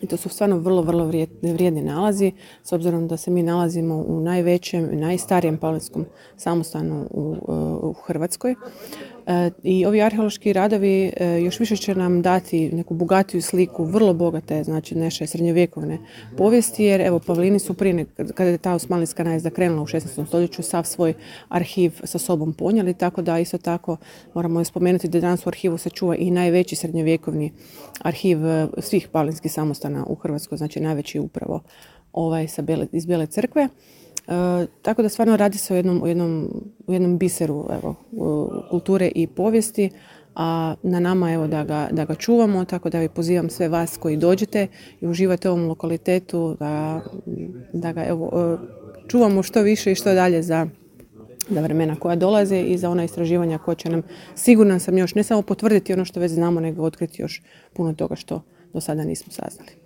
I to su stvarno vrlo vrijedni nalazi, s obzirom da se mi nalazimo u najvećem i najstarijem palinskom samostanu u Hrvatskoj. I ovi arheološki radovi još više će nam dati neku bogatiju sliku, vrlo bogate, znači naše srednjovjekovne povijesti, jer evo pavlini su prije, kada je ta osmanlijska najezda krenula u 16. stoljeću, sav svoj arhiv sa sobom ponijeli, tako da isto tako moramo spomenuti da danas u arhivu se čuva i najveći srednjovjekovni arhiv svih pavlinskih samostana u Hrvatskoj, znači najveći upravo iz Bijele crkve. Tako da stvarno radi se o jednom biseru kulture i povijesti, a na nama je da ga čuvamo, tako da pozivam sve vas koji dođete i uživate u ovom lokalitetu da ga čuvamo što više i što dalje za vremena koja dolaze i za ona istraživanja koja će nam, sigurna sam, još ne samo potvrditi ono što već znamo, nego otkriti još puno toga što do sada nismo saznali.